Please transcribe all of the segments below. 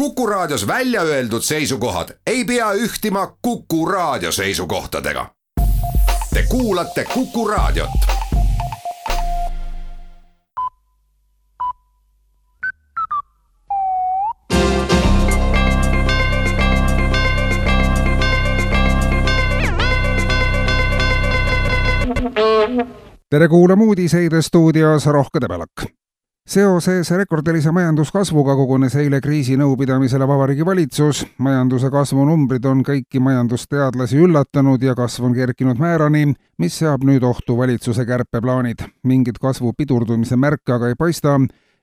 Kuku Raadios välja öeldud seisukohad ei pea ühtima Kuku Raadio seisukohtadega. Te kuulate Kuku Raadiot. Tere kuulama uudiseid stuudios Rohke Debelak. Seoses rekordilise majanduskasvuga kogunes eile kriisinõupidamisele Vabariigi Valitsus. Majanduse kasvu numbrid on kõiki majandusteadlasi üllatanud ja kasv on kerkinud määrani, mis seab nüüd ohtu valitsuse kärpeplaanid. Mingit kasvu pidurdumise märke aga ei paista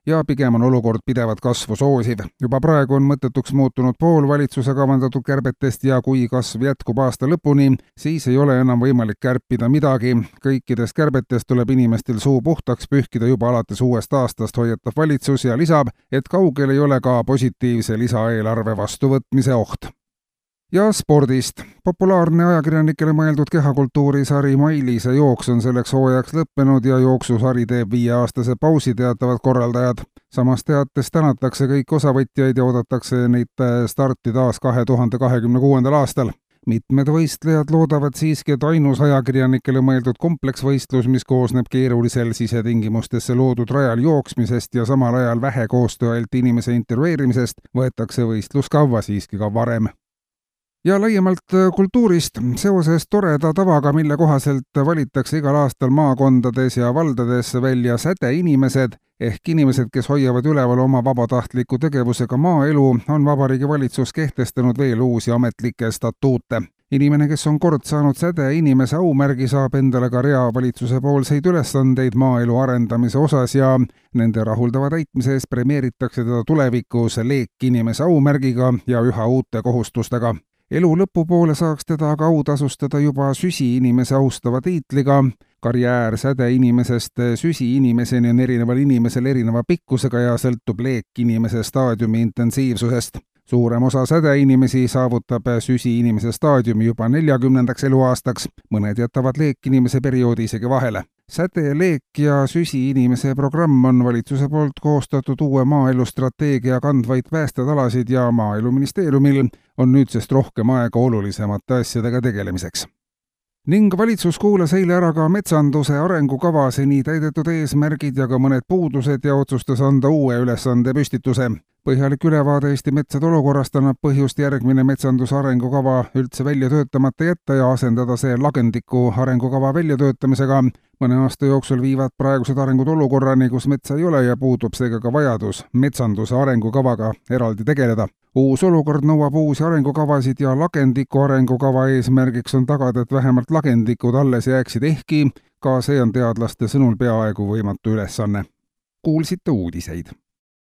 ja pigem on olukord pidevat kasvu soosiv. Juba praegu on mõttetuks muutunud pool valitsuse kavandatud kärbetest ja kui kasv jätkub aasta lõpuni, siis ei ole enam võimalik kärpida midagi. Kõikidest kärbetest tuleb inimestel suu puhtaks pühkida juba alates uuest aastast, hoiatab valitsus ja lisab, et kaugel ei ole ka positiivse lisaeelarve vastuvõtmise oht. Ja spordist. Populaarne ajakirjanikele mõeldud kehakultuurisari Mailise jooks on selleks hooajaks lõppenud ja jooksusari teeb 5-aastase pausi, teatavad korraldajad. Samas teates tänatakse kõik osavõtjaid ja oodatakse neid starti taas 2026. aastal. Mitmed võistlejad loodavad siiski, et ainus ajakirjanikele mõeldud kompleksvõistlus, mis koosneb keerulisel sisetingimustesse loodud rajal jooksmisest ja samal ajal vähe koostöölt inimese intervjueerimisest, võetakse võistluskavva siiski ka varem. Ja laiemalt kultuurist. Seoses toreda tavaga, mille kohaselt valitakse igal aastal maakondades ja valdades välja sädeinimesed ehk inimesed, kes hoiavad üleval oma vabatahtliku tegevusega maaelu, on Vabariigi Valitsus kehtestanud veel uusi ametlikke statuute. Inimene, kes on kord saanud sädeinimese aumärgi, saab endale ka rea valitsuse poolseid ülesandeid maaelu arendamise osas ja nende rahuldava täitmise eest premeeritakse teda tulevikus leekinimese aumärgiga ja üha uute kohustustega. Elu lõpupoole saaks teda aga autasustada juba süsiinimese austava tiitliga. Karjäär sädeinimesest süsiinimeseni on erineval inimesel erineva pikkusega ja sõltub leekinimese staadiumi intensiivsusest. Suurem osa sädeinimesi saavutab süsiinimese staadiumi juba 40. eluaastaks, mõned jätavad leekinimese perioodi isegi vahele. Säde, leek ja süsiinimese programm on valitsuse poolt koostatud uue maaelustrateegia kandvaid päästetalasid ja Maaeluministeeriumil on nüüdsest rohkem aega olulisemate asjadega tegelemiseks. Ning valitsus kuulas eile ära ka metsanduse arengukava seni täidetud eesmärgid ja ka mõned puudused ja otsustas anda uue ülesande püstituse. Põhjalik ülevaade Eesti metsade olukorrast annab põhjust järgmine metsanduse arengukava üldse välja töötamata jätta ja asendada see lagendiku arengukava väljatöötamisega. Mõne aasta jooksul viivad praegused arengud olukorrani, kus metsa ei ole ja puudub seega ka vajadus metsanduse arengukavaga eraldi tegeleda. Uus olukord nõuab uusi arengukavasid ja lagendiku arengukava eesmärgiks on tagada, et vähemalt lagendikud alles jääksid, ehkki ka see on teadlaste sõnul peaaegu võimatu ülesanne. Kuulsite uudiseid.